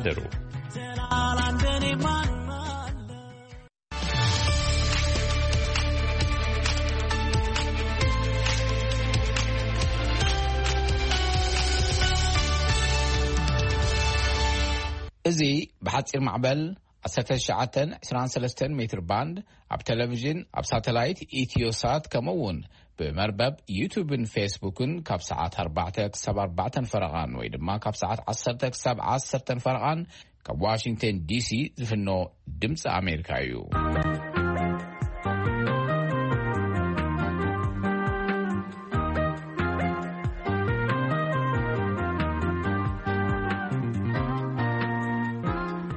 ደሩ። እዚ ብሓጺር ማዕበል ዓሰርተ ትሽዓተ ዕስራን ሰለስተን ሜትር ባንድ ኣብ ቴሌቪዥን፣ ኣብ ሳተላይት ኢትዮሳት፣ ከምኡ እውን ብመርበብ ዩቱብን ፌስቡክን ካብ ሰዓት ኣርባዕተ ክሳብ ኣርባዕተን ፈረቓን ወይ ድማ ካብ ሰዓት ዓሰርተ ክሳብ ዓሰርተን ፈረቓን ካብ ዋሽንግተን ዲሲ ዝፍኖ ድምፂ ኣሜሪካ እዩ።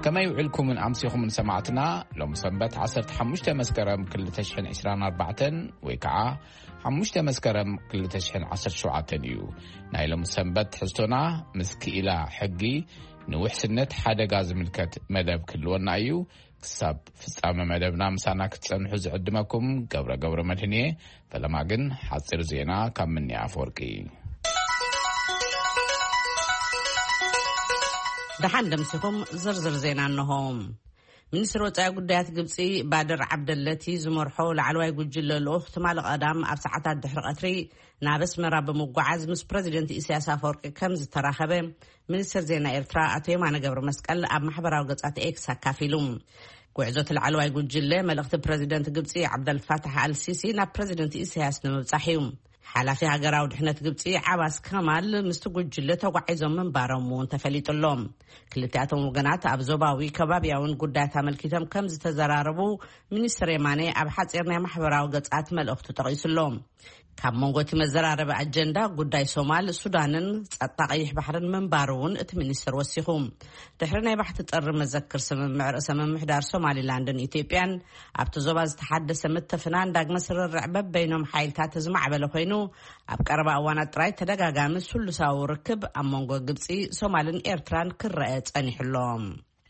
ከመይ ውዕልኩምን ኣምሲኹምን ሰማዕትና? ሎም ሰንበት ዓሰርተ ሓሙሽተ መስከረም ክልተ ሽሕን ዕስራን ኣርባዕተን ወይ ከዓ ሓሙሽተ መስከረም ክልተ ሽሕን ዓሰርተ ሸውዓተን እዩ። ናይ ሎም ሰንበት ትሕዝቶና ምስ ክኢላ ሕጊ ንውሕስነት ሓደጋ ዝምልከት መደብ ክህልወና እዩ። ክሳብ ፍጻመ መደብና ምሳና ክትጸንሑ ዝዕድመኩም ገብረ ገብረ መድህን እየ። ፈለማ ግን ሓጺር ዜና ካብ ምንያ ኣፈወርቂ። ደሓን ደምሲኹም ዝርዝር ዜና እንሆ። ሚኒስትሪ ወጻኢ ጉዳያት ግብጺ ባድር ዓብደለቲ ዝመርሖ ላዕለዋይ ጉጅለ ልኡኽ ትማሊ ቀዳም ኣብ ሰዓታት ድሕሪ ቀትሪ ናብ ኣስመራ ብምጓዓዝ ምስ ፕረዚደንት ኢሳያስ ኣፈወርቂ ከም ዝተራኸበ ሚኒስትር ዜና ኤርትራ ኣቶ የማነ ገብረ መስቀል ኣብ ማሕበራዊ ገጻት ኤክስ ኣካፊሉ። ጉዕዞ እቲ ላዕለዋይ ጉጅለ መልእኽቲ ፕረዚደንት ግብጺ ዓብደልፋታሕ ኣልሲሲ ናብ ፕረዚደንት ኢሳያስ ንምብጻሕ እዩ። ሓላፊ ሃገራዊ ድሕነት ግብጺ ዓባስ ከማል ምስቲ ጉጅለ ተጓዒዞም ምንባሮም እውን ተፈሊጡ ኣሎ። ክልቲኣቶም ወገናት ኣብ ዞባዊ ከባቢያውን ጉዳያት ኣመልኪቶም ከም ዝተዘራረቡ ሚኒስትር የማነ ኣብ ሓጺር ናይ ማሕበራዊ ገጻት መልእኽቱ ጠቒሱ ኣሎ። ካብ መንጎ እቲ መዘራረቢ ኣጀንዳ ጉዳይ ሶማል፣ ሱዳንን ጸጥታ ቀይሕ ባሕርን ምንባሩ እውን እቲ ሚኒስትር ወሲኹ። ድሕሪ ናይ ባሕቲ ጥሪ መዘክር ስምምዕ ርእሰ ምምሕዳር ሶማሊላንድን ኢትዮጵያን ኣብቲ ዞባ ዝተሓደሰ ምትፍናን ዳግመ ስርርዕ በበይኖም ሓይልታት ዝማዕበለ ኮይኑ፣ ኣብ ቀረባ እዋናት ጥራይ ተደጋጋሚ ስሉሳዊ ርክብ ኣብ መንጎ ግብጺ፣ ሶማልን ኤርትራን ክረአ ጸኒሑ ኣሎ።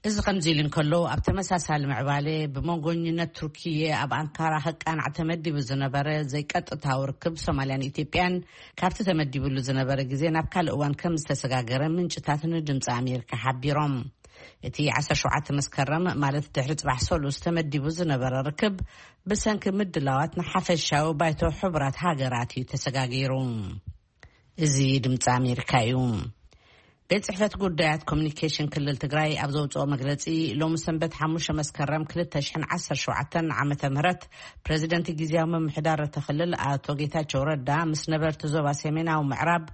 እዚ ከምዚ ኢሉ እንከሎ፣ ኣብ ተመሳሳሊ ምዕባለ ብመንጎኝነት ቱርኪየ ኣብ ኣንካራ ከቃናዕ ተመዲቡ ዝነበረ ዘይቀጥታዊ ርክብ ሶማልያን ኢትዮጵያን ካብቲ ተመዲብሉ ዝነበረ ግዜ ናብ ካልእ እዋን ከም ዝተሰጋገረ ምንጭታት ንድምፂ ኣሜሪካ ሓቢሮም። እቲ ዓሰርተ ሸውዓተ መስከረም፣ ማለት ድሕሪ ጽባሕ ሰሉስ ተመዲቡ ዝነበረ ርክብ ብሰንኪ ምድላዋት ንሓፈሻዊ ባይቶ ሕቡራት ሃገራት እዩ ተሰጋጊሩ። እዚ ድምፂ ኣሜሪካ እዩ። ቤት ጽሕፈት ጉዳያት ኮሚኒኬሽን ክልል ትግራይ ኣብ ዘውፅኦ መግለፂ፣ ሎሚ ሰንበት ሓሙሽተ መስከረም ክልተ ሽሕን ዓሰርተ ሸውዓተን ዓመተ ምህረት፣ ፕረዚደንት ግዝያዊ ምምሕዳር እቲ ክልል ኣቶ ጌታቸው ረዳ ምስ ነበርቲ ዞባ ሰሜናዊ ምዕራብ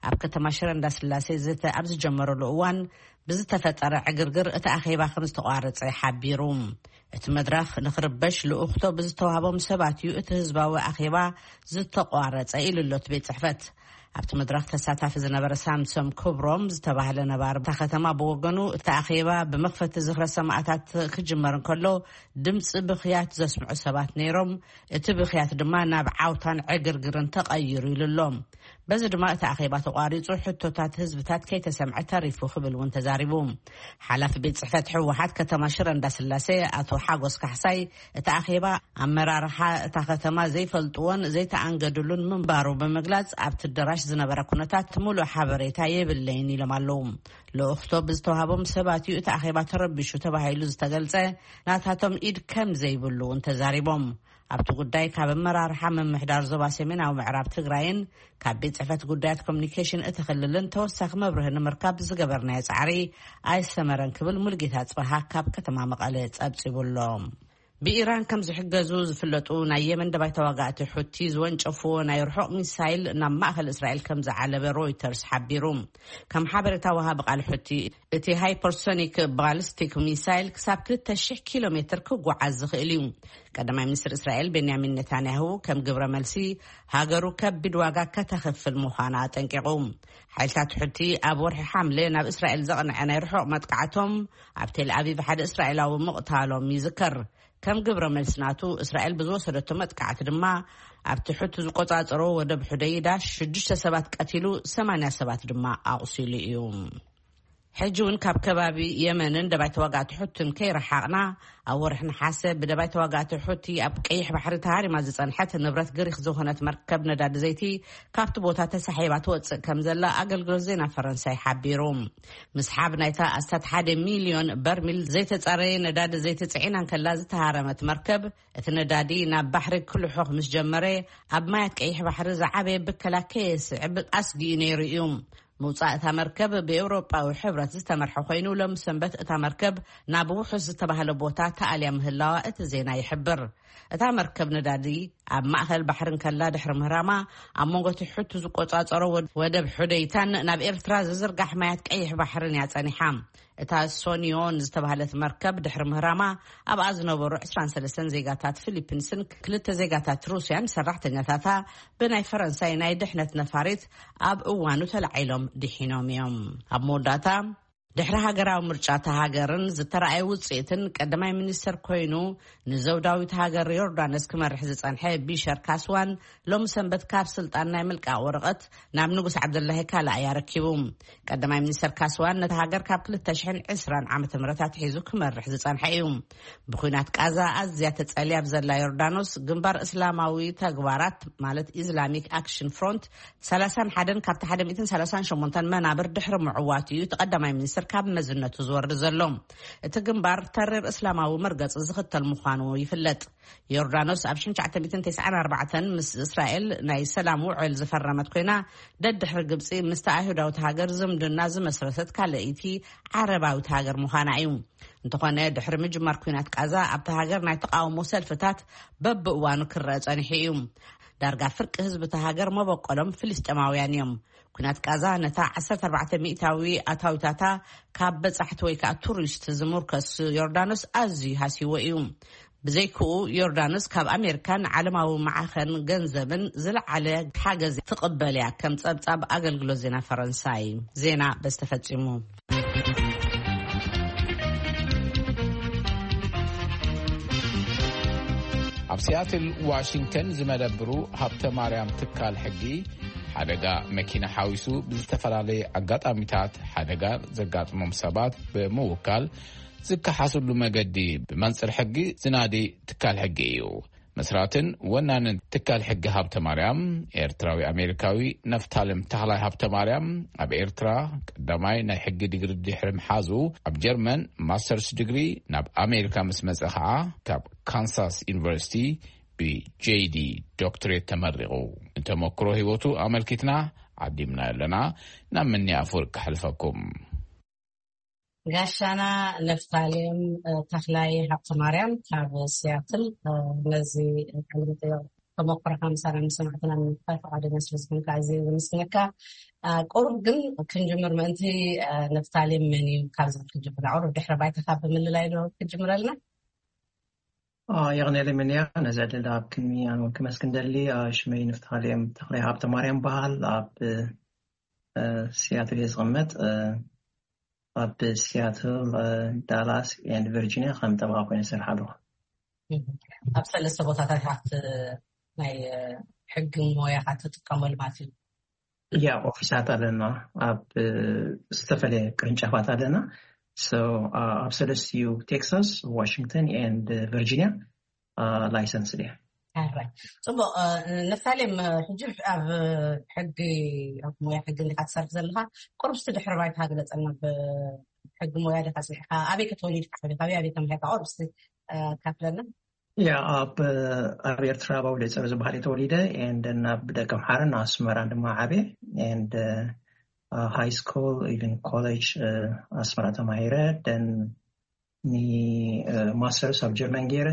ኣብ ከተማ ሽረ እንዳስላሴ ዘተ ኣብ ዝጀመረሉ እዋን ብዝተፈጠረ ዕግርግር እቲ ኣኼባ ከም ዝተቋረጸ ሓቢሩ። እቲ መድረኽ ንኽርበሽ ልኡኽቶ ብዝተዋህቦም ሰባት እዩ እቲ ህዝባዊ ኣኼባ ዝተቋረጸ ኢሉ ኣሎ እቲ ቤት ጽሕፈት። ኣብቲ መድረኽ ተሳታፊ ዝነበረ ሳምሶም ክብሮም ዝተባህለ ነባሪ እታ ከተማ ብወገኑ፣ እቲ ኣኼባ ብመኽፈቲ ዝኽረ ሰማእታት ክጅመር እንከሎ ድምፂ ብኽያት ዘስምዑ ሰባት ነይሮም፣ እቲ ብኽያት ድማ ናብ ዓውታን ዕግርግርን ተቐይሩ ኢሉ ኣሎ። በዚ ድማ እቲ ኣኼባ ተቋሪጹ፣ ሕቶታት ህዝብታት ከይተሰምዐ ተሪፉ ክብል እውን ተዛሪቡ። ሓላፊ ቤት ጽሕፈት ህወሓት ከተማ ሽረ እንዳስላሴ ኣቶ ሓጎስ ካሕሳይ፣ እቲ ኣኼባ ኣመራርሓ እታ ከተማ ዘይፈልጥዎን ዘይተኣንገድሉን ምንባሩ ብምግላጽ፣ ኣብቲ ኣዳራሽ ዝነበረ ኩነታት ምሉእ ሓበሬታ የብለይን ኢሎም ኣለዉ። ልኡኽቶ ብዝተዋህቦም ሰባት እዩ እቲ ኣኼባ ተረቢሹ ተባሂሉ ዝተገልጸ፣ ናታቶም ኢድ ከም ዘይብሉ እውን ተዛሪቦም። ኣብቲ ጉዳይ ካብ ኣመራርሓ ምምሕዳር ዞባ ሰሜናዊ ምዕራብ ትግራይን ካብ ቤት ጽሕፈት ጉዳያት ኮሚኒኬሽን እቲ ክልልን ተወሳኺ መብርሂ ንምርካብ ዝገበርናዮ ጻዕሪ ኣይሰመረን ክብል ሙልጌታ ጽበሃ ካብ ከተማ መቐለ ጸብጺቡ ኣሎ። ብኢራን ከም ዝሕገዙ ዝፍለጡ ናይ የመን ደባይ ተዋጋእቲ ሑቲ ዝወንጨፍዎ ናይ ርሑቕ ሚሳይል ናብ ማእከል እስራኤል ከም ዝዓለበ ሮይተርስ ሓቢሩ። ከም ሓበሬታ ወሃቢ ቃል ሑቲ፣ እቲ ሃይፐርሶኒክ ባሊስቲክ ሚሳይል ክሳብ ክልተ ሽሕ ኪሎ ሜትር ክጓዓዝ ዝኽእል እዩ። ቀዳማይ ሚኒስትር እስራኤል ቤንያሚን ኔታንያሁ ከም ግብረ መልሲ ሃገሩ ከቢድ ዋጋ ከተኽፍል ምዃና ኣጠንቂቑ። ሓይልታት ሑቲ ኣብ ወርሒ ሓምለ ናብ እስራኤል ዘቕንዐ ናይ ርሑቕ መጥቃዕቶም ኣብ ቴል ኣቪቭ ሓደ እስራኤላዊ ምቕታሎም ይዝከር። ከም ግብረ መልሲ ናቱ፣ እስራኤል ብዝወሰደቶ መጥቃዕቲ ድማ ኣብቲ ሑቲ ዝቆጻጸሮ ወደብ ሑደይዳ ሽዱሽተ ሰባት ቀቲሉ፣ ሰማንያ ሰባት ድማ ኣቑሲሉ እዩ። ሕጂ እውን ካብ ከባቢ የመንን ደባይ ተዋጋእቲ ሑትን ከይረሓቕና፣ ኣብ ወርሒ ነሓሰ ብደባይ ተዋጋእቲ ሑቲ ኣብ ቀይሕ ባሕሪ ተሃሪማ ዝጸንሐት ንብረት ግሪኽ ዝኾነት መርከብ ነዳዲ ዘይቲ ካብቲ ቦታ ተሳሒባ ትወጽእ ከም ዘላ ኣገልግሎት ዜና ፈረንሳይ ሓቢሩ። ምስሓብ ናይታ ኣስታት ሓደ ሚልዮን በርሚል ዘይተጻረየ ነዳዲ ዘይቲ ጽዒና እንከላ ዝተሃረመት መርከብ፣ እቲ ነዳዲ ናብ ባሕሪ ክልሑኽ ምስ ጀመረ፣ ኣብ ማያት ቀይሕ ባሕሪ ዝዓበየ ብከላ ከየስዕብ ኣስጊኡ ነይሩ እዩ። ምውጻእ እታ መርከብ ብኤውሮጳዊ ሕብረት ዝተመርሐ ኮይኑ፣ ሎም ሰንበት እታ መርከብ ናብ ውሑስ ዝተባህለ ቦታ ተኣልያ ምህላዋ እቲ ዜና ይሕብር። እታ መርከብ ነዳዲ ኣብ ማእከል ባሕሪ እንከላ ድሕሪ ምህራማ፣ ኣብ መንጎ እቲ ሕቱ ዝቆጻጸሮ ወድ-፣ ወደብ ሑደይታን ናብ ኤርትራ ዝዝርጋሕ ማያት ቀይሕ ባሕርን እያ ጸኒሓ። እታ ሶኒዮን ዝተባህለት መርከብ ድሕሪ ምህራማ፣ ኣብኣ ዝነበሩ ዕስራን ሰለስተን ዜጋታት ፊሊፒንስን ክልተ ዜጋታት ሩስያን ሰራሕተኛታታ ብናይ ፈረንሳይ ናይ ድሕነት ነፋሪት ኣብ እዋኑ ተላዒሎም ድሒኖም እዮም። ኣብ መወዳእታ፣ ድሕሪ ሃገራዊ ምርጫ እታ ሃገርን ዝተረኣየ ውጽኢትን፣ ቀዳማይ ሚኒስተር ኮይኑ ንዘውዳዊት ሃገር ዮርዳኖስ ክመርሕ ዝጸንሐ ቢሸር ካስዋን ሎም ሰንበት ካብ ስልጣን ናይ ምልቃቕ ወረቐት ናብ ንጉስ ዓብደላሂ ካልኣይ ኣረኪቡ። ቀዳማይ ሚኒስተር ካስዋን ነታ ሃገር ካብ ክልተ ሽሕን ዕስራን ዓመተ ምህረት ኣትሒዙ ክመርሕ ዝጸንሐ እዩ። ብኲናት ቃዛ ኣዝያ ተጸልያ ኣብ ዘላ ዮርዳኖስ፣ ግንባር እስላማዊ ተግባራት ማለት ኢስላሚክ ኣክሽን ፍሮንት ሰላሳን ሓደን ካብቲ ሓደ ሚእትን ሰላሳን ሸሞንተን መናብር ድሕሪ ምዕዋት እዩ እቲ ቀዳማይ ሚኒስትር ካብ መዝነቱ ዝወርድ ዘሎ። እቲ ግንባር ተሪር እስላማዊ መርገጺ ዝኽተል ምዃኑ ይፍለጥ። ዮርዳኖስ ኣብ ሽሕን ትሽዓተ ሚእትን ተስዓን ኣርባዕተን ምስ እስራኤል ናይ ሰላም ውዕል ዝፈረመት ኮይና፣ ደድሕሪ ግብጺ ምስቲ ኣይሁዳዊት ሃገር ዝምድና ዝመስረተት ካልኣይቲ ዓረባዊት ሃገር ምዃና እዩ። እንተኾነ፣ ድሕሪ ምጅማር ኲናት ቃዛ ኣብታ ሃገር ናይ ተቓውሞ ሰልፍታት በብእዋኑ ክረአ ጸኒሑ እዩ። ዳርጋ ፍርቂ ህዝቢ እታ ሃገር መበቆሎም ፍልስጤማውያን እዮም። ኲናት ቃዛ ነታ ዓሰርተ ኣርባዕተ ሚእታዊ ኣታዊታታ ካብ በጻሕቲ ወይ ከኣ ቱሪስት ዝምርከስ ዮርዳኖስ ኣዝዩ ሃስይዎ እዩ። ብዘይክኡ፣ ዮርዳኖስ ካብ ኣሜሪካን ዓለማዊ ማዕኸን ገንዘብን ዝለዓለ ሓገዝ ትቕበል እያ፣ ከም ጸብጻብ ኣገልግሎት ዜና ፈረንሳይ። ዜና በዚ ተፈጺሙ። ኣብ ሲያትል ዋሽንግተን ዝመደብሩ ሃብተ ማርያም ትካል ሕጊ፣ ሓደጋ መኪና ሓዊሱ ብዝተፈላለየ ኣጋጣሚታት ሓደጋ ዘጋጥሞም ሰባት ብምውካል ዝከሓስሉ መገዲ ብመንጽር ሕጊ ዝናዲ ትካል ሕጊ እዩ። መስራትን ወናንን ትካል ሕጊ ሃብተ ማርያም፣ ኤርትራዊ ኣሜሪካዊ ነፍታለም ተኽላይ ሃብተ ማርያም፣ ኣብ ኤርትራ ቀዳማይ ናይ ሕጊ ዲግሪ ድሕሪ ምሓዙ፣ ኣብ ጀርመን ማስተርስ ዲግሪ፣ ናብ ኣሜሪካ ምስ መጸ ኸዓ ካብ ካንሳስ ዩኒቨርሲቲ ብጄዲ ዶክትሬት ተመሪቑ። ንተመክሮ ህይወቱ ኣመልኪትና ዓዲምና ኣለና። ናብ ምኒ ኣፈወርቂ ከሕልፈኩም። ጋሻና ነፍታሌም፣ እ፣ ተኽላይ ሃብተ ማርያም ካብ ሲያትል፣ እ፣ ነዚ ቃለ መጠይቕ ተመክሮኻ ምሳና ምስ ሰማዕትና ንምክፋል ፈቓደኛ ስለ ዝኾንካ ኣዝየ ዘመስግነካ። እ፣ ቁሩብ ግን ክንጅምር ምእንቲ፣ እ፣ ነፍታሌም መን እዩ ካብዚ ክንጅምር፣ ቁሩብ ድሕረ ባይታኻ ብምልላይ ዶ ክትጅምረልና? አ፣ የቕኔለይ ምንያ፣ ነዚ ዕድል ኣብ ቅድሚ ኣነ እውን ክመስግን ደሊ። አ፣ ሽመይ ንፍታሌም ተኽላይ ሃብተ ማርያም በሃል። ኣብ፣ እ፣ ሲያትል እየ ዝቕመጥ። እ፣ ኣብ ሲያትል፣ እ፣ ዳላስ ኤንድ ቨርጂኒያ ከም ጠበቓ ኮይነ ዝሰርሕ ኣለኹ። እም። ኣብ ሰለስተ ቦታታት ኢኻ ናይ፣ እ፣ ሕጊ ሞያኻ ትጥቀመሉ ማለት እዩ? ያ፣ ኦፊሳት ኣለና። ኣብ፣ እ፣ ዝተፈላለየ ቅርንጫፋት ኣለና። So፣ አ፣ ኣብ ሰለስቲኡ ቴክሳስ፣ ዋሽንግተን ኤንድ ቨርጂኒያ፣ አ፣ ላይሰንስ ድያ። ኣራይ። ጽቡቕ፣ እ፣ ነፍታሌም፣ እ፣ ሕጂ ኣብ ሕጊ፣ ኣብ ሞያ ሕጊ እንዲኻ ትሰርሕ ዘለኻ፣ ቁሩብ እስቲ ድሕሪ ባይታ ግለጸልና። ብሕጊ ሞያ ዲኻ ጽኒዕካ? ኣበይ ከተወሊድካ? ኣበይ፣ ኣበይ፣ ኣበይ ተማሂርካ? ቁሩብ እስቲ፣ እ፣ ካፍለና። ያ፣ ኣብ፣ ኣብ ኤርትራ፣ ኣብ ኣውደጸር ዝበሃል እየ ተወሊደ። ኤንድ ናብ ደቀ ምሓርን ኣስመራን ድማ ዓብየ። ኤንድ፣ እ፣ ሃይ ስኩል፣ ኢቨን ኮሌጅ፣ እ፣ ኣስመራ ተማሂረ። ደን ኒ፣ እ፣ ማስተርስ ኣብ ጀርመን ገይረ።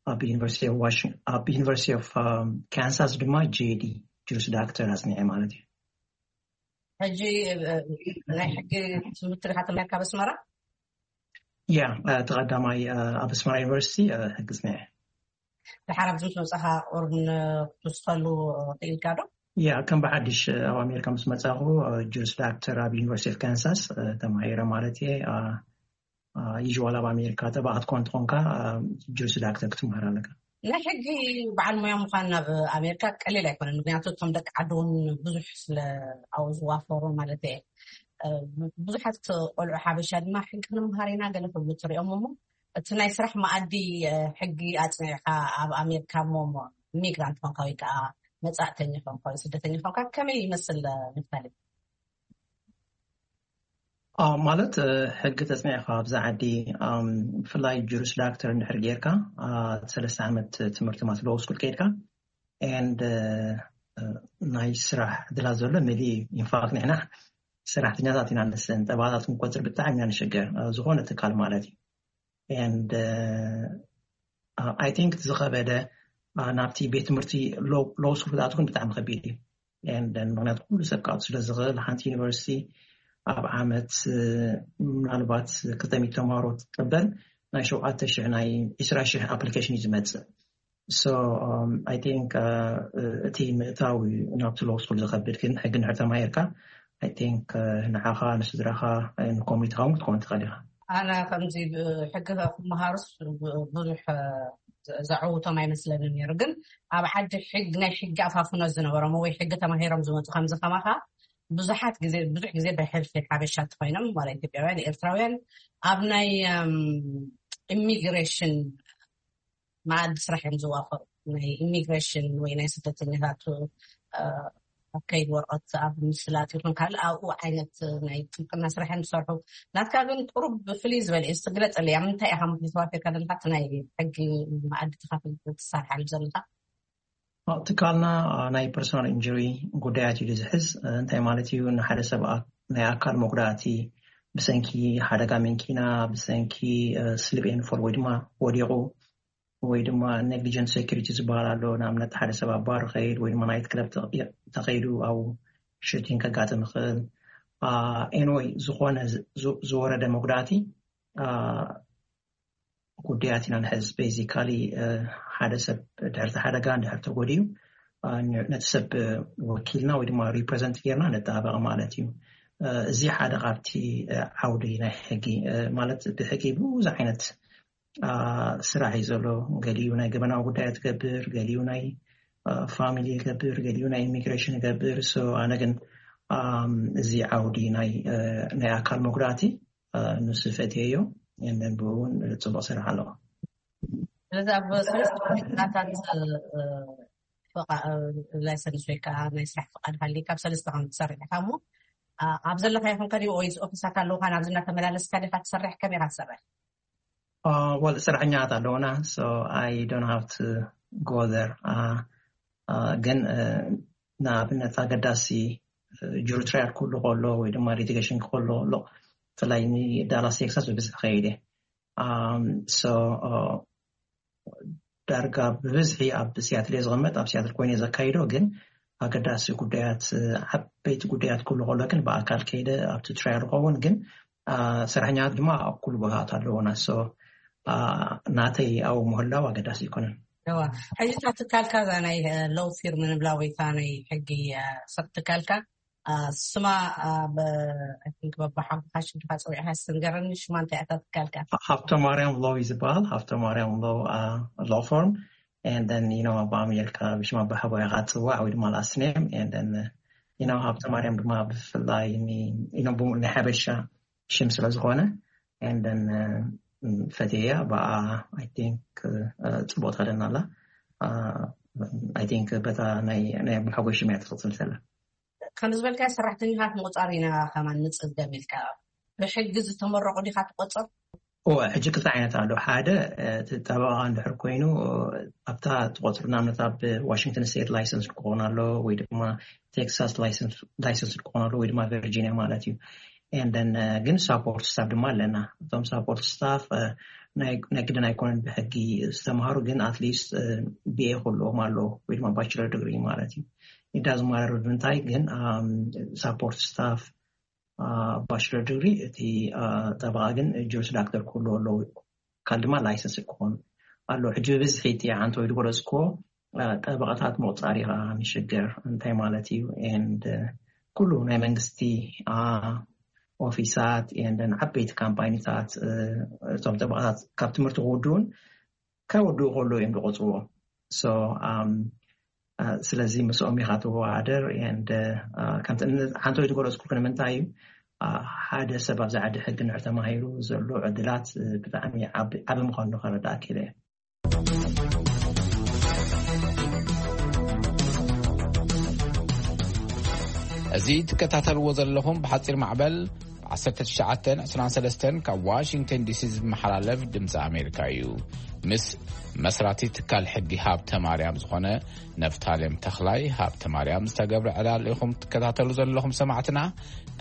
ኣብ ዩኒቨርሲቲ ኦፍ ዋሽን-፣ ኣብ ዩኒቨርሲቲ ኦፍ፣ እ፣ ካንሳስ ድማ ጄዲ፣ ጁሪስ ዳክተር ኣጽኒዐ ማለት እዩ። ሕጂ፣ እ፣ ናይ ሕጊ ትምህርቲ ዲኻ ተማሂርካ ኣብ ኣስመራ? ያ፣ እ፣ ተቐዳማይ፣ እ፣ ኣብ ኣስመራ ዩኒቨርሲቲ፣ እ፣ ሕጊ ጽኒዐ። ድሓር ኣብዚ ምስ መጻኻ ቁሩብ ክትውስኸሉ ክኢልካ ዶ? ያ፣ ከም ብሓድሽ፣ እ፣ ኣብ ኣሜሪካ ምስ መጻኹ፣ እ፣ ጁሪስ ዳክተር ኣብ ዩኒቨርሲቲ ኦፍ ካንሳስ፣ እ፣ ተማሂረ ማለት እየ። እ፣ እ፣ ዩዥዋል ኣብ ኣሜሪካ ጠበቓ ክትኮን እንተኾንካ፣ እ፣ ጁሪስ ዳክተር ክትምሃር ኣለካ። ናይ ሕጊ በዓል ሞያ ምዃን ናብ ኣሜሪካ ቀሊል ኣይኮነን፣ ምክንያቱ እቶም ደቂ ዓዲ እውን ብዙሕ ስለ ኣብኡ ዝዋፈሩ ማለት እየ። ብዙሓት ቆልዑ ሓበሻ ድማ ሕጊ ንምሃር ኢና ገለ ክብሉ ትሪኦም እሞ፣ እቲ ናይ ስራሕ መኣዲ ሕጊ ኣፅኒዕካ ኣብ ኣሜሪካ እሞ እሞ ኢሚግራንት ኮንካ ወይ ከዓ መፃእተኛ ኮንካ ወይ ስደተኛ ኮንካ ከመይ ይመስል? ምሳሌ ማለት ሕጊ ተፅኒዕካ ኣብዛ ዓዲ፣ ብፍላይ ጁሪስ ዳክተር እንድሕር ጌርካ፣ ሰለስተ ዓመት ትምህርቲ ማለት ሎው ስኩል ከይድካ፣ and ናይ ስራሕ ዕድላት ዘሎ መሊ። ኢንፋክት ንሕና ሰራሕተኛታት ኢና ንስን ጠባታት ክንቆፅር ብጣዕሚ ኢና ንሸገር፣ ዝኾነ ትካል ማለት እዩ። And I think ዝኸበደ ናብቲ ቤት ትምህርቲ ሎው ስኩል ክትኣትው ግን ብጣዕሚ ከቢድ እዩ። And ምክንያቱ ኩሉ ሰብ ክኣቱ ስለ ዝኽእል፣ ሓንቲ ዩኒቨርሲቲ ኣብ ዓመት ምናልባት ክልተ ሚእቲ ተምሃሮ ትቀበል፣ ናይ ሸውዓተ ሽሕ ናይ ዒስራ ሽሕ ኣፕሊኬሽን እዩ ዝመፅእ። So I think እቲ ምእታው ናብቲ ሎው ስኩል ዝኸብድ፣ ግን ሕጊ እንድሕር ተማሂርካ I think ንዓኻ፣ ንስድራኻ፣ ንኮሚኒቲኻ እውን ክትከውን ትኽእል ኢኻ። ኣነ ከምዚ ሕጊ ክመሃሩስ ብዙሕ ዘዕውቶም ኣይመስለንን ነይሩ። ግን ኣብ ዓዲ ሕግ ናይ ሕጊ ኣፋፍኖ ዝነበሮም ወይ ሕጊ ተማሂሮም ዝመፁ ከምዚ ከማኻ ብዙሓት ግዜ ብዙሕ ግዜ ብሕልፊ ሓበሻ ተኮይኖም ዋላ ኢትዮጵያውያን ኤርትራውያን ኣብ ናይ ኢሚግሬሽን መኣዲ ስራሕ እዮም ዝዋፈሩ። ናይ ኢሚግሬሽን ወይ ናይ ስደተኛታት ኣብ ከይድ ወረቐት ኣብ ምስላጥ ይኹን ካልእ ኣብኡ ዓይነት ናይ ጥብቅና ስራሕ እዮም ዝሰርሑ። ናትካ ግን ቁሩብ ፍልይ ዝበለ እዩ። እስቲ ግለፀለይ፣ ኣብ ምንታይ ኢኻ ምክንያት ተዋፊርካ ዘለካ እቲ ናይ ሕጊ መኣዲ ተኻፊል ትሰርሓሉ ዘለካ? ትካልና ናይ ፐርሶናል ኢንጁሪ ጉዳያት እዩ ዝሕዝ። እንታይ ማለት እዩ? ንሓደ ሰብ ናይ ኣካል መጉዳእቲ ብሰንኪ ሓደጋ መንኪና፣ ብሰንኪ ስሊፕ ኤንድ ፎል ወይ ድማ ወዲቑ ወይ ድማ ኔግሊጀንት ሴኩሪቲ ዝበሃል ኣሎ። ንኣብነት ሓደ ሰብ ኣብ ባር ኸይድ ወይ ድማ ናይት ክለብ ተኸይዱ ኣብ ሽቲን ከጋጥም ይኽእል። ኤንወይ ዝኾነ ዝወረደ መጉዳእቲ ጉዳያት ኢና ንሕዝ። ቤዚካሊ ሓደ ሰብ ድሕርቲ ሓደጋ እንድሕር ተጎዲዩ ነቲ ሰብ ወኪልና ወይ ድማ ሪፕሬዘንት ጌርና ነጠባበቕ ማለት እዩ። እዚ ሓደ ካብቲ ዓውዲ ናይ ሕጊ ማለት ብሕጊ ብዙሕ ዓይነት ስራሕ እዩ ዘሎ። ገሊኡ ናይ ገበናዊ ጉዳያት ይገብር፣ ገሊኡ ናይ ፋሚሊ ይገብር፣ ገሊኡ ናይ ኢሚግሬሽን ይገብር። So ኣነ ግን እዚ ዓውዲ ናይ ናይ ኣካል መጉዳእቲ ንሱ ፈትየዮ፣ and then ብኡ እውን ፅቡቅ ሰራሕ ኣለዎ። ስለዚ ኣብ ሰለስተ ናታት ላይሰንስ ወይ ከዓ ናይ ስራሕ ፍቃድ ሃልዩ ካብ ሰለስተ ከም ትሰርሕ ኢኻ እሞ ኣብ ዘለካ ይኹን ከዲ ወይ ኦፊሳት ኣለውካ ናብዚ እናተመላለስካ ዲካ ትሰርሕ? ከመይ ኢካ ትሰርሕ? Well ሰራሕኛታት ኣለውና። So I don't have to go there. ግን ንኣብነት ኣገዳሲ ጁሪ ትራያል ክህሉ ከሎ ወይ ድማ ሊቲጌሽን ክህሉ ከሎ፣ ብፍላይ ንዳላስ ቴክሳስ ብብዝሒ ከይደ። So ዳርጋ ብብዝሒ ኣብ ሲያትል እየ ዝቕመጥ፣ ኣብ ሲያትል ኮይነ ዘካይዶ። ግን ኣገዳሲ ጉዳያት፣ ዓበይቲ ጉዳያት ክህሉ ከሎ ግን ብኣካል ከይደ ኣብቲ ትራያል ዝኸውን። ግን ሰራሕኛታት ድማ ኣብ ኩሉ ቦታታት ኣለውና። So ናተይ ኣብኡ ምህላው ኣገዳሲ ኣይኮነን። ሕጂ እታ ትካልካ እዛ ናይ ሎው ፊርም ንብላ ወይ እታ ናይ ሕጊ ሰብ ትካልካ ስማ በባሓጎኻ ሽምካ ፀዊዕካ ስንገረኒ። ሽማ እንታይ እታ ትካልካ? ሃብተ ማርያም ሎው እዩ ዝበሃል። ሃብተ ማርያም ሎው ሎ ፎርም። And then you know ኣብ ኣሜሪካ ብሽም ኣባሓጎ ኢኻ ትፅዋዕ ወይ ድማ ላስት ኔም። And then you know ሃብተ ማርያም ድማ ብፍላይ ንሓበሻ ሽም ስለ ዝኾነ and then ፈትየያ ብኣ። I think ፅቡቅ ትኸደና ኣላ። I think በታ ናይ ኣባሓጎይ ሽም እያ ትቕፅል ዘላ። ከም ዝበልካ ሰራሕተኛታት ምቁፃር ኢና ከማን ንፅገም ኢልካ ብሕጊ ዝተመረቑ ዲካ ትቆፅር? እወ፣ ሕጂ ክልተ ዓይነት ኣሎ። ሓደ ጠበቃ እንድሕር ኮይኑ ኣብታ ትቆፅሩ ንኣብነት ኣብ ዋሽንግተን ስቴት ላይሰንስ ክኾን ኣሎ ወይ ድማ ቴክሳስ ላይሰንስ ክኾን ኣሎ ወይ ድማ ቨርጂኒያ ማለት እዩ። And then ግን ሳፖርት ስታፍ ድማ ኣለና። እቶም ሳፖርት ስታፍ ናይ ግድን ኣይኮነን ብሕጊ ዝተምሃሩ፣ ግን ኣትሊስት ቢኤ ክህልዎም ኣሎ ወይ ድማ ባችለር ዲግሪ ማለት እዩ። ኢዳዝ ማረር ብምንታይ ግን ሳፖርት ስታፍ ባችለር ዲግሪ እቲ ጠበቃ ግን ጁሪስ ዳክተር ክህልዎ ኣለዎ። ካል ድማ ላይሰንስ ክኾኑ ኣሎ። ሕጂ ብብዝሒ እቲ ዓንተወይ ዝገለፅክዎ ጠበቃታት ምቁፃር ኢኻ ንሽግር እንታይ ማለት እዩ? And ኩሉ ናይ መንግስቲ ኦፊሳት and ዓበይቲ ካምፓኒታት እቶም ጠበቃታት ካብ ትምህርቲ ክውድኡን ከወድኡ ከሎ እዮም ዝቆፅርዎ። So ስለዚ ምስኦም ኢኻ ትወዳደር። And ከምቲ ዓንተወይ ዝገለፅኩልክ ንምንታይ እዩ ሓደ ሰብ ኣብዚ ዓዲ ሕጊ ንድሕር ተማሂሩ ዘሎ ዕድላት ብጣዕሚ ዓቢ ምዃኑ ከረዳእ ክኢለ እየ። እዚ ትከታተልዎ ዘለኹም ብሓፂር ማዕበል ዓሰርተ ትሽዓተ ዕስራን ሰለስተን ካብ ዋሽንግተን ዲሲ ዝመሓላለፍ ድምፂ ኣሜሪካ እዩ። ምስ መስራቲ ትካል ሕጊ ሃብተ ማርያም ዝኾነ ነፍታሌም ተኽላይ ሃብተ ማርያም ዝተገብረ ዕላል ኢኹም ትከታተሉ ዘለኹም ሰማዕትና።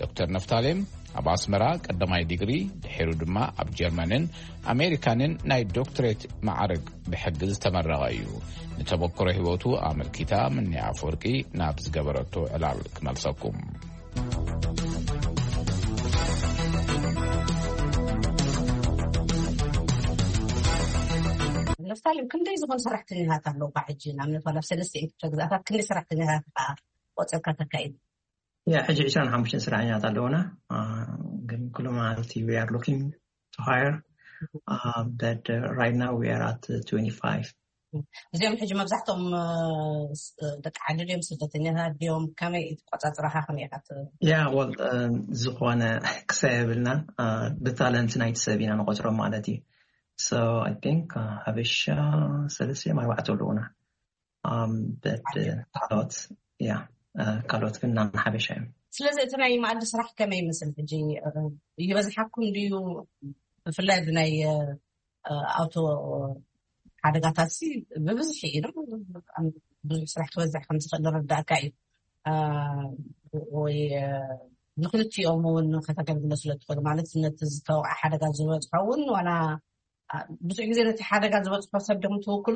ዶክተር ነፍታሌም ኣብ ኣስመራ ቀዳማይ ዲግሪ፣ ድሒሩ ድማ ኣብ ጀርመንን ኣሜሪካንን ናይ ዶክትሬት ማዕረግ ብሕጊ ዝተመረቐ እዩ። ንተበክሮ ህይወቱ ኣመልኪታ ምኒ ኣፈወርቂ ናብ ዝገበረቶ ዕላል ክመልሰኩም። ነፍታሌም ክንደይ ዝኾኑ ሰራሕተኛታት ኣለውካ ሕጂ? ንኣብነት ዋላ ኣብ ሰለስተ ክፍለ ግዛኣታት ክንደይ ሰራሕተኛታት ኢኻ ቆፂርካ ተካይድ? ያ ሕጂ ዕስራን ሓሙሽተን ሰራሕተኛታት ኣለውና። ግን ኩሉ መዓልቲ we are looking to hire, but right now we are at twenty-five. እዚኦም ሕጂ መብዛሕትኦም ደቂ ዓዲ ድዮም፣ ስደተኛታት ድዮም? ከመይ ትቆፃፅራኻ? ከመይ ኢኻ? ያ ወል ዝኾነ ክሳይ የብልና፣ ብታለንት ናይቲ ሰብ ኢና ንቆፅሮም ማለት እዩ። So I think ሓበሻ ሰለስተ እዮም ኣርባዕተ ኣለውና። ካልኦት ያ ካልኦት ግን ናብ ሓበሻ እዮም። ስለዚ እቲ ናይ መኣዲ ስራሕ ከመይ ይመስል ሕጂ? ይበዝሓኩም ድዩ? ብፍላይ ብናይ ኣውቶ ሓደጋታት ሲ ብብዝሒ እዩ። ብዙሕ ስራሕ ክበዝሕ ከም ዝኽእል ዝረዳእካ እዩ። ወይ ንክልቲኦም እውን ከተገልግሎ ስለ ትኽእሉ፣ ማለት ነቲ ዝተወቕዐ ሓደጋ ዝበፅሖ እውን ዋላ ብዙሕ ግዜ ነቲ ሓደጋ ዝበፅሖ ሰብ ዶም ትውክሉ?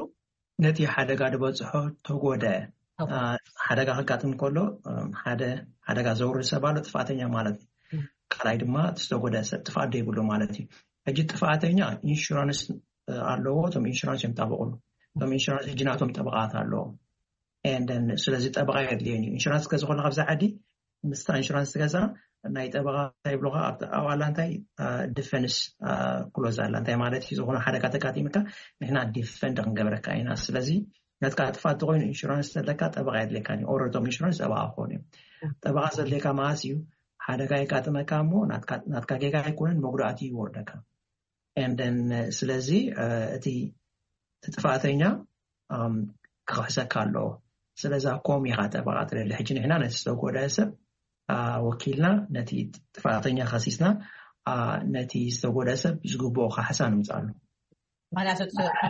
ነቲ ሓደጋ ዝበፅሖ ተጎደ ሓደጋ ከጋጥም ከሎ ሓደ ሓደጋ ዘውርድ ሰብ ኣሎ፣ ጥፋተኛ ማለት እዩ። ካልኣይ ድማ ዝተጎደ ሰብ ጥፍኣት ዘይብሉ ማለት እዩ። ሕጂ ጥፍኣተኛ ኢንሹራንስ ኣለዎ፣ እቶም ኢንሹራንስ እዮም ጠበቕሉ። እቶም ኢንሹራንስ ሕጂ ናቶም ጠበቓት ኣለዎም። ስለዚ ጠበቓ የድልየን እዩ። ኢንሹራንስ ክትገዝእ ከለካ ኣብዚ ዓዲ ምስታ ኢንሹራንስ ትገዛ ናይ ጠበቓ እንታይ ይብሉካ ኣብቲ ኣዋላ እንታይ ዲፈንስ ክሎዝ ኣላ። እንታይ ማለት እዩ? ዝኾነ ሓደጋ ተጋጢምካ ንሕና ዲፈንድ ክንገብረካ ኢና። ስለዚ ናትካ ጥፋት ተኮይኑ ኢንሹራንስ ዘለካ ጠበቓ የድልየካ እዩ። ኦረቶም ኢንሹራንስ ጠበቓ ክኾኑ እዮም። ጠበቓ ዘድልየካ መዓስ እዩ? ሓደጋ የጋጥመካ እሞ ናትካ ጌጋ ኣይኮነን መጉዳእቲ ይወርደካ። And then ስለዚ እቲ ጥፋተኛ ክኽሕሰካ ኣለዎ። ስለዛ ኮም ኢኻ ጠበቓ ትደሊ። ሕጂ ንሕና ነቲ ዝተጎደአ ሰብ ወኪልና ነቲ ጥፋተኛ ከሲስና ነቲ ዝተጎደአ ሰብ ዝግብኦ ካሕሳ ንምፅኣሉ። ምክንያቱ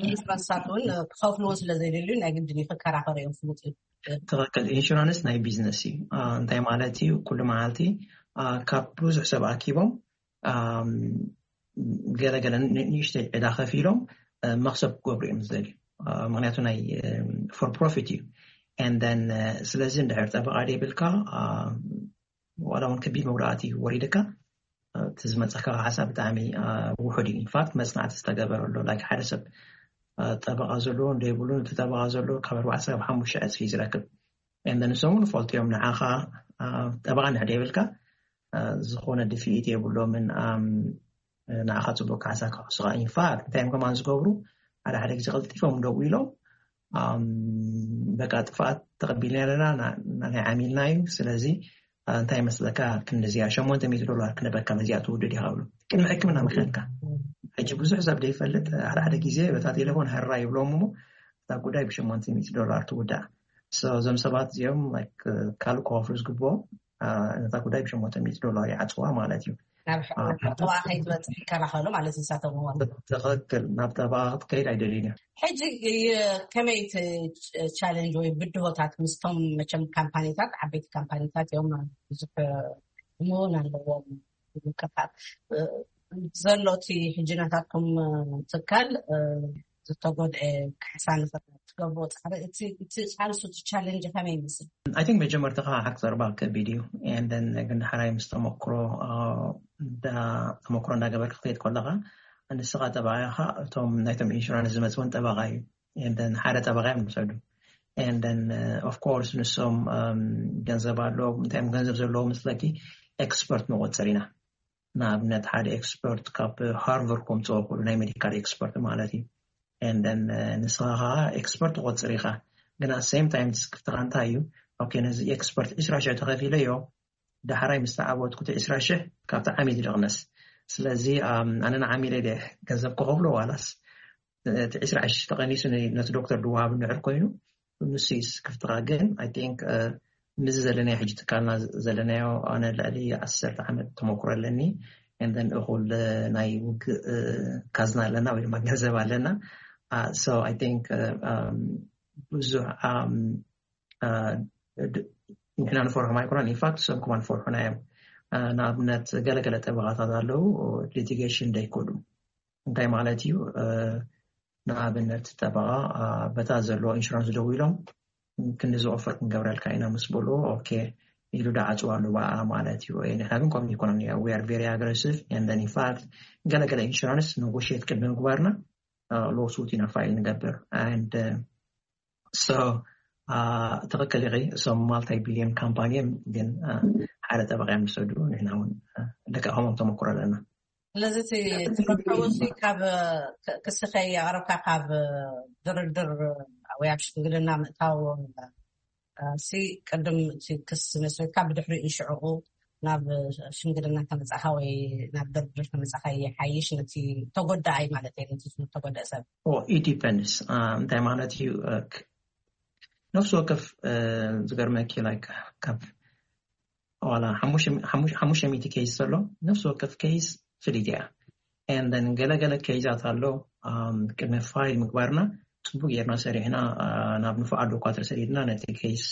ኢንሹራንስታት እውን ክኸፍልዎ ስለ ዘይደልዩ ናይ ግድን ክከራኸሩ እዮም። ፍሉጥ እዩ። ትኽክል። ኢንሹራንስ ናይ ቢዝነስ እዩ። እንታይ ማለት እዩ? ኩሉ መዓልቲ ካብ ብዙሕ ሰብ ኣኪቦም ገለገለ ንእሽተይ ዕዳ ከፊሎም መክሰብ ክገብሩ እዮም ዝደልዩ። ምክንያቱ ናይ ፎር ፕሮፊት እዩ። And then ስለዚ እንድሕር ጠበቓ ደይብልካ ዋላ እውን ከቢድ መጉዳእቲ ወሪድካ እቲ ዝመፀካ ካሕሳ ብጣዕሚ ውሑድ እዩ። ኢንፋክት መፅናዕቲ ዝተገበረሉ ላይክ ሓደ ሰብ ጠበቓ ዘለዎ እንደይብሉ እቲ ጠበቓ ዘለዎ ካብ ኣርባዕተ ክሳብ ሓሙሽተ ዕፅፊ እዩ ዝረክብ። And then ንሶም እውን ፈልጡ እዮም ንዓኻ ጠበቓ እንድሕር ደይብልካ ዝኾነ ድፍኢት የብሎምን። ንዓኻ ፅቡቅ ካሕሳ ክሕሱኻ ኢንፋክት እንታይ እዮም ከማን ዝገብሩ ሓደ ሓደ ግዜ ቀልጢፎም ደው ኢሎም በቃ ጥፍኣት ተቐቢልና ኣለና ናይ ዓሚልና እዩ። ስለዚ እንታይ መስለካ ክንዲዚኣ ሸሞንተ ሚእቲ ዶላር ክነበካ ነዚኣ ትውድድ ኢኻ ብሉ ቅድሚ ሕክምና ምክንካ። ሕጂ ብዙሕ ሰብ ዘይፈልጥ ሓደ ሓደ ግዜ በታ ቴሌፎን ሀራ ይብሎም እሞ እታ ጉዳይ ብሸሞንተ ሚእቲ ዶላር ትውዳእ። እዞም ሰባት እዚኦም ካልእ ክኸፍሉ ዝግብኦም ነታ ጉዳይ ብሸሞንተ ሚእቲ ዶላር ይዓፅዋ ማለት እዩ። ናብ ጠበቓ ከይትበፅሕ ይከላኸሉ ማለት እዩ። ንሳቶም እውን ትኽክል ናብ ጠበቓ ክትከይድ ኣይደልዩን እዮም። ሕጂ ከመይ እቲ ቻለንጅ ወይ ብድሆታት ምስቶም መቸም ካምፓኒታት ዓበይቲ ካምፓኒታት እዮም ብዙሕ እውን ኣለዎም ምቅፋት ዘሎ እቲ ሕጂ ናታትኩም ትካል ዝተጎድአ ካሕሳ ንፈ ትገብሮ ፃዕሪ እቲ ቃልሱ እቲ ቻለንጅ ከመይ ይመስል? I think መጀመርታ ከዓ ሓቂ ዘረባ ከቢድ እዩ። And then ግን ሓራይ ምስ ተመክሮ ተመክሮ እንዳገበርካ ክትሄድ ከለካ ንስኻ ጠበቃ ኢኻ፣ እቶም ናይቶም ኢንሹራንስ ዝመፅውን ጠበቃ እዩ። And then ሓደ ጠበቃ እዮም ዝሰዱ። And then of course ንሶም ገንዘብ ኣለዎም፣ እንታይ እዮም ገንዘብ ዘለዎም መስለኪ? ኤክስፐርት ንቆፅር ኢና። ንኣብነት ሓደ ኤክስፐርት ካብ ሃርቨርድ ከምፅኦ ክእሉ ናይ ሜዲካል ኤክስፐርት ማለት እዩ። And then ንስኻ ከዓ ኤክስፐርት ትቆፅር ኢኻ። ግን at same time ስክፍትኻ እንታይ እዩ? ኦኬ ነዚ ኤክስፐርት ዕስራ ሽሕ ተኸፊለዮ ዳሕራይ ምስ ተዓወትኩ እቲ ዕስራ ሽሕ ካብቲ ዓሚል ዝቕነስ። ስለዚ ኣነ ንዓሚለ ደ ገንዘብ ክኸፍሎ ዋላስ እቲ ዕስራ ሽሕ ተቐኒሱ ነቲ ዶክተር ድወሃብ እንድሕር ኮይኑ ንሱ ክፍትኻ። ግን I think ምዚ ዘለናዮ ሕጂ ትካልና ዘለናዮ ኣነ ልዕሊ ዓሰርተ ዓመት ተመክሮ ኣለኒ። And then እኹል ናይ ውግእ ካዝና ኣለና ወይ ድማ ገንዘብ ኣለና። So I think ብዙሕ ንሕና ንፈርሖም ኣይኮናን። ኢንፋክት እሶም ክማን ፈርሑና እዮም። ንኣብነት ገለገለ ጠበቓታት ኣለዉ ሊቲጌሽን ደይኮዱ። እንታይ ማለት እዩ? ንኣብነት ጠበቓ በታ ዘለዎ ኢንሹራንስ ደው ኢሎም ክንዲ ዝኦፈር ክንገብረልካ ኢና ምስ በሉ ኦኬ ኢሉ ዳዓፅዋ ኣለዋ ማለት እዩ። ንሕና ግን ከምኡ ይኮነን። We are very aggressive and then in fact ገለገለ ኢንሹራንስ ነጎሽት ቅድሚ ምግባርና ሎሱት ኢና ፋይል ንገብር። And so ትኽክል ኢኺ። እሶም ማልታይ ቢልዮን ካምፓኒ እዮም፣ ግን ሓደ ጠበቃ እዮም ዝሰዱ። ንሕና እውን ደቂ ከምኦም ተመክሮ ኣለና። ስለዚ እቲ ትረከቡ እዚ ካብ ክስኸ የቕረብካ ካብ ድርድር ወይ ኣብ ሽምግልና ምእታው ሲ ቅድም እቲ ክስ መስሪትካ ብድሕሪኡ ሽዕኡ ናብ ሽምግልና ከመፃኻ ወይ ናብ ድርድር ከመፃኻ ይሓይሽ ነቲ ተጎዳኣይ ማለት እዩ። ነቲ ተጎደእ ሰብ ኢት ዲፐንድስ እንታይ ማለት እዩ? ነፍሲ ወከፍ ዝገርመኪ ላይክ ካብ ዋላ ሓሙሽተ ሚእቲ ኬይስ ዘሎ ነፍሲ ወከፍ ኬይስ ፍልይቲ እያ። And then ገለገለ ኬይዛት ኣሎ ቅድሚ ፋይል ምግባርና ፅቡቅ ጌርና ሰሪሕና ናብ ንፉዓት ዶኳትር ሰዲድና ነቲ ኬይስ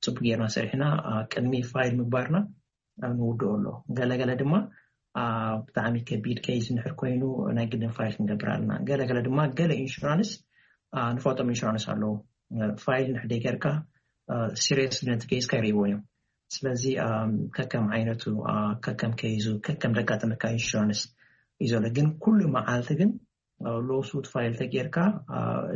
ፅቡቅ ጌርና ሰሪሕና ቅድሚ ፋይል ምግባርና ንውድኦ ኣሎ። ገለገለ ድማ ብጣዕሚ ከቢድ ኬይስ እንድሕር ኮይኑ ናይ ግድን ፋይል ክንገብር ኣለና። ገለገለ ድማ ገለ ኢንሹራንስ ንፈልጦም ኢንሹራንስ ኣለዉ ፋይል እንድሕር ደይገርካ ሲሪየስ ነቲ ኬይስካ ይርእይዎ እዮም። ስለዚ ከከም ዓይነቱ ከከም ኬይዙ ከከም ዘጋጠመካ ኢንሹራንስ እዩ ዘሎ። ግን ኩሉ መዓልቲ ግን ሎሱት ፋይል ተጌርካ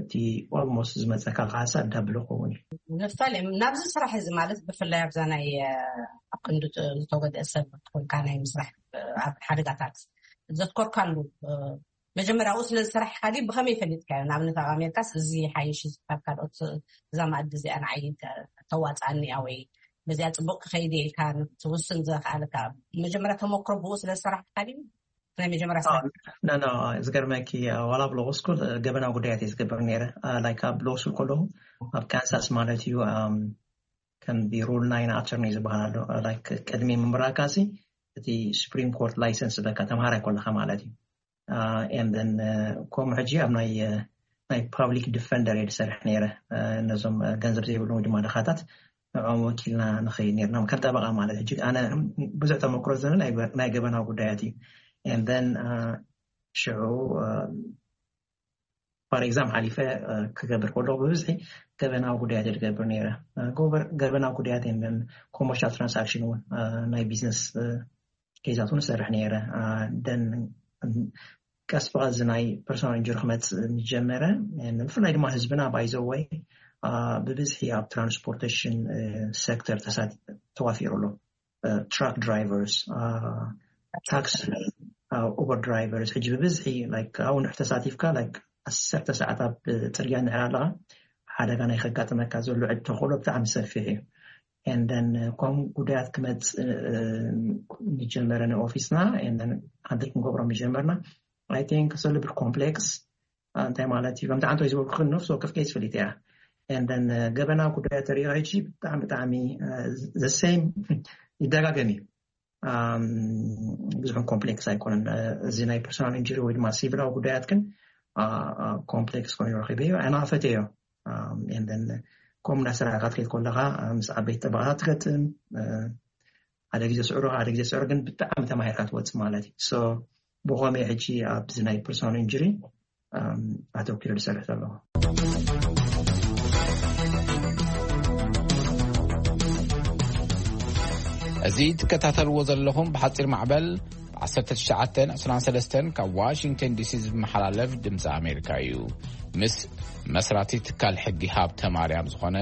እቲ ኦልሞስት ዝመፀካ ካሳ ዳብል ክኸውን እዩ። ነፍታሌም ናብዚ ስራሕ እዚ ማለት ብፍላይ ኣብዛ ናይ ኣብ ክንዲ ዝተጎድአ ሰብ ትኮንካ ናይ ምስራሕ ኣብ ሓደጋታት ዘትኮርካሉ መጀመሪያኡ ስለ ዝሰራሕካ ድዩ ብኸመይ ፈሊጥካዮ? ንኣብነት ኣብ ኣሜሪካስ እዚ ሓይሽ ካብ ካልኦት እዛ ማእዲ እዚኣ ንዓይ ተዋፅኣኒ እያ ወይ በዚኣ ፅቡቅ ክኸይድ እየ ኢልካ ትውስን ዘኽኣለካ መጀመሪያ ተመክሮ ብኡ ስለ ዝሰራሕካ ድዩ? ናይ መጀመርያ ስራሕ ኖ ኖ ዝገርመኪ ዋላ ኣብ ሎስኩል ገበናዊ ጉዳያት እየ ዝገብር ነይረ። ላይክ ኣብ ሎስኩል ከለኹ ኣብ ካንሳስ ማለት እዩ ከም ሩል ናይን ኣተርኒ ዝበሃል ኣሎ። ላይክ ቅድሚ ምምራካሲ እቲ ሱፕሪም ኮርት ላይሰንስ በካ ተምሃራይ ከለካ ማለት እዩ። And then ከምኡ ሕጂ ኣብ ናይ ናይ ፓብሊክ ዲፈንደር እየ ዝሰርሕ ነይረ። ነዞም ገንዘብ ዘይብሎም ወይ ድማ ድኻታት ንዕኦም ወኪልና ንኸይድ ነርና ከም ጠበቃ ማለት ሕጂ ኣነ ብዙሕ ተመክሮ ዘለ ናይ ገበናዊ ጉዳያት እዩ። And then ሽዑ ፎር ኤግዛም ሓሊፈ ክገብር ከለኩ ብብዝሒ ገበናዊ ጉዳያት እየ ዝገብር ነይረ። ገበናዊ ጉዳያት and then ኮመርሻል ትራንሳክሽን እውን ናይ ቢዝነስ ኬዛት እውን እሰርሕ ነይረ። ደን ቀስ ብቐስ እዚ ናይ ፐርሶናል ኢንጁሪ ክመፅእ ምስ ጀመረ ብፍላይ ድማ ህዝብና ባይዘወይ ብብዝሒ ኣብ ትራንስፖርቴሽን ሴክተር ተዋፊሩ ኣሎ። ትራክ ድራይቨርስ፣ ታክሲ፣ ኡበር ድራይቨርስ ሕጂ ብብዝሒ ኣብኡ ንሕ ተሳቲፍካ ዓሰርተ ሰዓት ኣብ ፅርግያ እንድሕር ኣለኻ ሓደጋ ናይ ከጋጥመካ ዘሎ ዕድ ተኽእሎ ብጣዕሚ ሰፊሕ እዩ። And then ከም ጉዳያት ክመፅእ ዝጀመረ ንኦፊስና and then ሃንድል ክንገብሮም ዝጀመርና I think it's a little bit complex። እንታይ ማለት እዩ ከምቲ ዓንቶ ዝበልኩ ነፍሲ ወከፍ ኬስ ፈሊጥ እያ። And then ገበና ጉዳያት ተሪኦ ሕጂ ብጣዕሚ ብጣዕሚ the same ይደጋገም እዩ። ብዙሕን ኮምፕሌክስ ኣይኮነን። እዚ ናይ ፐርሶናል ኢንጁሪ ወይ ድማ ሲቪላዊ ጉዳያት ግን ኮምፕሌክስ ኮይኑ ረኪበዮ ኣናፈተዮ። ከምኡ እንዳሰራሕካ ትከይድ ከለካ ምስ ዓበይቲ ጠበቃታት ትገጥም። ሓደ ግዜ ስዕሩ ሓደ ግዜ ስዕሩ ግን ብጣዕሚ ተማሂርካ ትወፅእ ማለት እዩ። ብኸመይ ሕጂ ኣብዚ ናይ ፐርሶናል ኢንጁሪ ኣተኪሩ ዝሰርሕ ዘለኹ። እዚ ትከታተልዎ ዘለኹም ብሓፂር ማዕበል ዓሰርተ ትሽዓተ ዕስራን ሰለስተን ካብ ዋሽንግተን ዲሲ ዝመሓላለፍ ድምፂ ኣሜሪካ እዩ። ምስ መስራቲ ትካል ሕጊ ሃብተ ማርያም ዝኾነ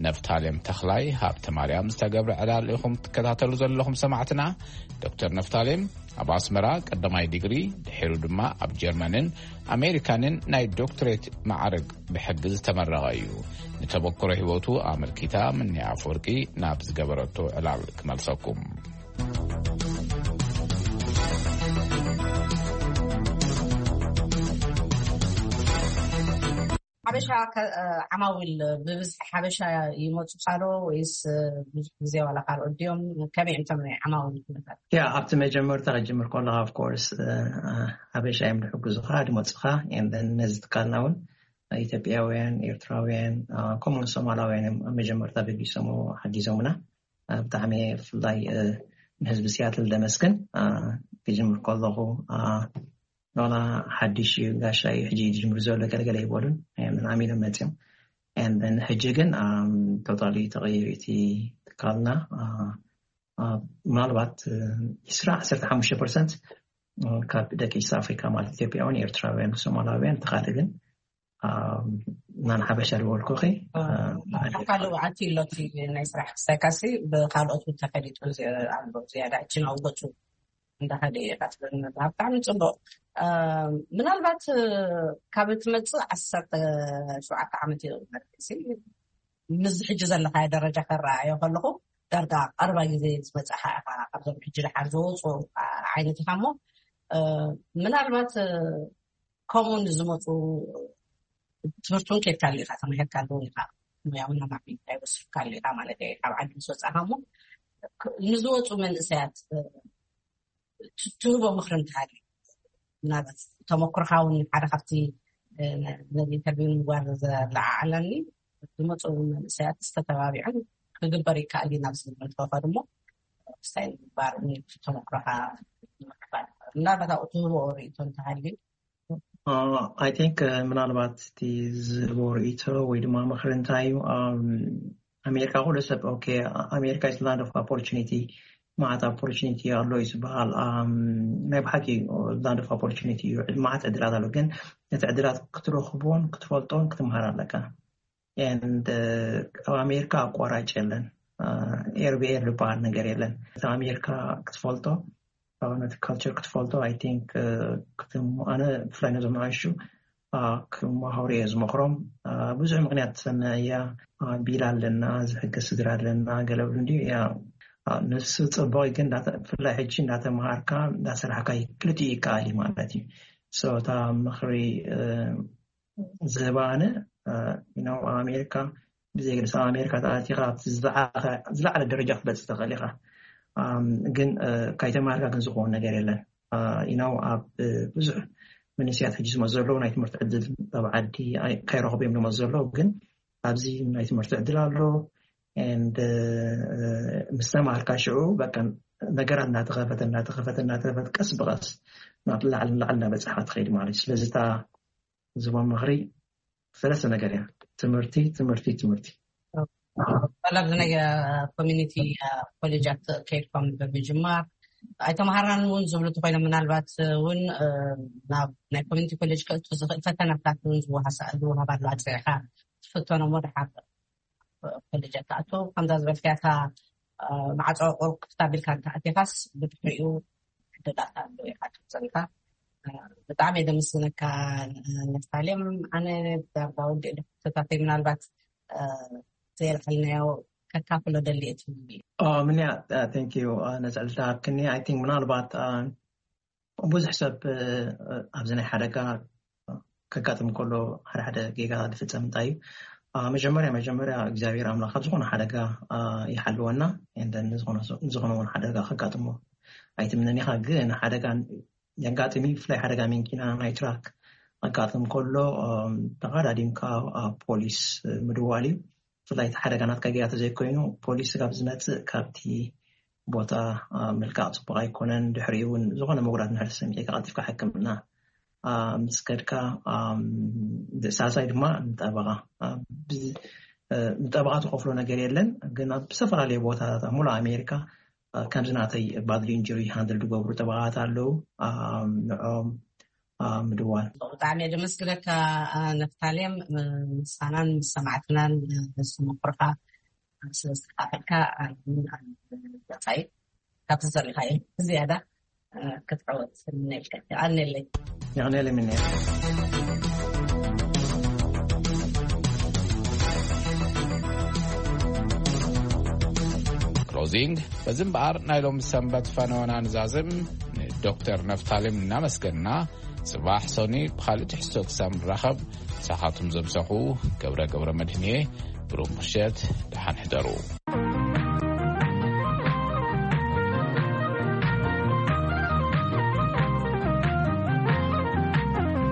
ነፍታሌም ተኽላይ ሃብተ ማርያም ዝተገብረ ዕላል ኢኹም ትከታተሉ ዘለኹም ሰማዕትና። ዶክተር ነፍታሌም ኣብ ኣስመራ ቀዳማይ ዲግሪ፣ ድሒሩ ድማ ኣብ ጀርመንን ኣሜሪካንን ናይ ዶክትሬት ማዕረግ ብሕጊ ዝተመረቐ እዩ። ንተመክሮ ህይወቱ ኣመልኪታ ምኒ ኣፈወርቂ ናብ ዝገበረቶ ዕላል ክመልሰኩም። ሓበሻ ከ-፣ ዓማዊል ብብዝሒ ሓበሻ ይመፁ ሳዶ ወይስ ብዙሕ ግዜ ዋላ ካልኦት ድዮም? ከመይ እዮም እቶም ናይ ዓማዊል ኩነታት? ያ፣ ኣብቲ መጀመርታ ክጅምር ከለኻ፣ of course፣ ሓበሻ እዮም ዝሕግዙኻ፣ ዝመፁኻ። And then ነዚ ትካልና እውን ኢትዮጵያውያን፣ ኤርትራውያን፣ ከምኡውን ሶማላውያን እዮም ኣብ መጀመርታ በጊሶም ሓጊዞምና። ብጣዕሚ ብፍላይ ንህዝቢ ሲያትል ደመስግን። ክጅምር ከለኹ ዋላ ሓድሽ እዩ፣ ጋሻ እዩ፣ ሕጂ እዩ ዝጅምር ዘሎ፣ ገለገለ ይበሉን፣ ንዓሚ ኢሎም መፅዮም። And then ሕጂ ግን totally ተቐይሩ እቲ ትካልና። ምናልባት ዒስራ፣ ዓሰርተ ሓሙሽተ ፐርሰንት ካብ ደቂ ኢስት ኣፍሪካ፣ ማለት ኢትዮጵያውያን፣ ኤርትራውያን፣ ሶማላውያን፣ ተኻለ ግን ናን ሓበሻ ዝበልኩኺ። ካልእ ኣቲ ኣሎ፣ እቲ ናይ ስራሕ ክሳይካሲ ብካልኦት እውን ተፈሊጡ ኣሎ፣ ዝያዳ ሕጂ ናብ ገፁ እንዳኸደ እዩ። ብጣዕሚ ፅቡቅ። ምናልባት ካብ እትመፅእ ዓሰርተ ሸውዓተ ዓመት እዩ። ምስዚ ሕጂ ዘለካዮ ደረጃ ከረኣዮ ከለኹ፣ ዳርጋ ቀረባ ግዜ ዝመፅእካ ኢኻ። ካብዞም ሕጂ ደሓር ዝወፁ ዓይነት ኢኻ እሞ፣ ምናልባት ከምኡ ንዝመፁ ትምህርቲ እውን ከድካሉ ኢኻ፣ ተማሂርካሉ እውን ኢኻ፣ ሞያውን ኣማዕቢልካ ይወስድካሉ ኢኻ ማለት እየ። ካብ ዓዲ ምስ ወፃእካ እሞ፣ ንዝወፁ መንእሰያት ትህቦ ምክሪ እንተሃልዩ፣ ምናልባት ተመክሮኻ እውን ሓደ ካብቲ ነዚ ኢንተርቪው ንምግባር ዘለዓዓለኒ፣ ዝመፁ መንእሰያት ዝተተባቢዖም ክግበር ይከኣል እዩ ናብ ዝብል መድረኽ እሞ፣ ስታይ ንምግባር ተመክሮኻ ምክፋል፣ ምናልባት ኣብኡ ትህቦ ርእይቶ እንተሃልዩ? I think ምናልባት እቲ ዝህቦ ርእይቶ ወይ ድማ ምክሪ እንታይ እዩ? ኣሜሪካ ኩሉ ሰብ okay, ኣሜሪካ is land of opportunity፣ ማዓት opportunity ኣሎ እዩ ዝበሃል። ናይ ብሓቂ land of opportunity እዩ፣ ማዓት ዕድላት ኣሎ። ግን ነቲ ዕድላት ክትረኽቦን ክትፈልጦን ክትምሃር ኣለካ። And ኣብ ኣሜሪካ ኣቋራጭ የለን፣ ኤርብኤር ዝበሃል ነገር የለን። እቲ ኣሜሪካ ክትፈልጦ፣ ነቲ culture ክትፈልጦ፣ I think ኣነ ብፍላይ ነዞም ንኣሽቱ ክመሃሩ እየ ዝመኽሮም። ብዙሕ ምክንያት ሰናያ፣ ቢላ ኣለና፣ ዝሕግዝ ስድራ ኣለና፣ ገለ ብሉ እንዲ ያ። ንሱ ፅቡቅ ግን ብፍላይ ሕጂ እንዳተምሃርካ እንዳሰራሕካ ክልቲኡ ይከኣል እዩ ማለት እዩ። So እታ ምክሪ ዝህባ ኣነ፣ you know፣ ኣብ ኣሜሪካ ብዘይ ግድስ ኣብ ኣሜሪካ ተኣቲኻ ኣብቲ ዝለዓለ ደረጃ ክትበፅእ ትኽእል ኢኻ። ግን ካይተማሃርካ ግን ዝኸውን ነገር የለን። You know፣ ኣብ ብዙሕ መንእሰያት ሕጂ ዝመፁ ዘለዉ ናይ ትምህርቲ ዕድል ኣብ ዓዲ ካይረኽቡ እዮም ዝመፁ ዘለዉ። ግን ኣብዚ ናይ ትምህርቲ ዕድል ኣሎ። And ምስ ተማሃርካ ሽዑ በቃ ነገራት እናተኸፈተ እናተኸፈተ እናተኸፈተ ቀስ ብቐስ ናብ ላዕሊ ላዕሊ እናበፅሓ ትኸይድ ማለት እዩ። ስለዚ እታ ዝቦም ምኽሪ ሰለስተ ነገር እያ። ትምህርቲ፣ ትምህርቲ፣ ትምህርቲ። ጠለብ ናይ ኮሚኒቲ ኮሌጃት ከይድኩም ብምጅማር ኣይተምሃራን እውን ዝብሉ ተኮይኖም፣ ምናልባት እውን ናብ ናይ ኮሚኒቲ ኮሌጅ ከእቱ ዝኽእል ፈተናታት እውን ዝወሃሳ-፣ ዝወሃባሉ ኣፅሪዕካ ትፍተኖሞ ድሓር ኮሌጃት ትኣቱ። ከምዛ ዝበልካያ እታ ማዕፆ ቁሩብ ክፍት ኣቢልካ እንተኣቲኻስ ብድሕሪኡ ዕድላት ኣሎ ኢኻ ትብፀልካ። ብጣዕሚ እየ ደምስግነካ ነፍታሌም። ኣነ ዳርጋ ወዲእ ዶ ክፍተታተይ ምናልባት ዘየልዓልናዮ ከካፍሎ ደሊ እየ ትብሉ? ምንያ፣ thank you ነዚ ዕድል ሃብክኒ። I think ምናልባት ብዙሕ ሰብ ኣብዚ ናይ ሓደጋ ከጋጥም ከሎ ሓደ ሓደ ጌጋ ዝፍፀም እንታይ እዩ? መጀመርያ መጀመርያ እግዚኣብሔር ኣምላኽ ካብ ዝኾነ ሓደጋ ይሓልወና። And then ዝኾነ እውን ሓደጋ ከጋጥሞ ኣይትምነን ኢኻ። ግን ሓደጋ የጋጥም እዩ። ብፍላይ ሓደጋ መኪና፣ ናይ ትራክ ኣጋጥም ከሎ ተቐዳዲምካ ፖሊስ ምድዋል እዩ። ብፍላይ እቲ ሓደጋ ናትካ ጌጋ ተዘይኮይኑ ፖሊስ ካብ ዝመፅእ ካብቲ ቦታ ምልቃቕ ፅቡቕ ኣይኮነን። ድሕሪ እውን ዝኾነ መጉዳት ንድሕር ሰሚዕካ ቀልጢፍካ ሕክምና ምስ ከድካ፣ ሳልሳይ ድማ ንጠበቓ፣ ንጠበቓ ትኸፍሎ ነገር የለን። ግን ኣብ ዝተፈላለዩ ቦታታት ኣብ ሙሉእ ኣሜሪካ ከምዚ ናተይ ባድሊ ኢንጁሪ ሃንድል ዝገብሩ ጠበቓት ኣለዉ። ንዖም ምድዋል። ብጣዕሚ እየ ደመስግነካ ነፍታሌም፣ ምሳናን ምስ ሰማዕትናን ዝተመክሮካ ስለዝተካፈልካ። ገፃይ ካብቲ ዘሪእካዮ ዝያዳ ክትዓወት እምነልካ። የቐንየለይ። የቐንየለይ ምንየ። ክሎዚንግ። በዚ እምበኣር ናይ ሎም ሰንበት ፈነወና ንዛዝም ንዶክተር ነፍታሌም እናመስገንና፣ ጽባሕ ሶኒ ብኻልእ ትሕዝቶ ክሳብ ንራኸብ፣ ንሳኻትኩም ዘምሰኹ ገብረ ገብረ መድህንየ። ብሩህ ምሸት፣ ደሓን ሕደሩ።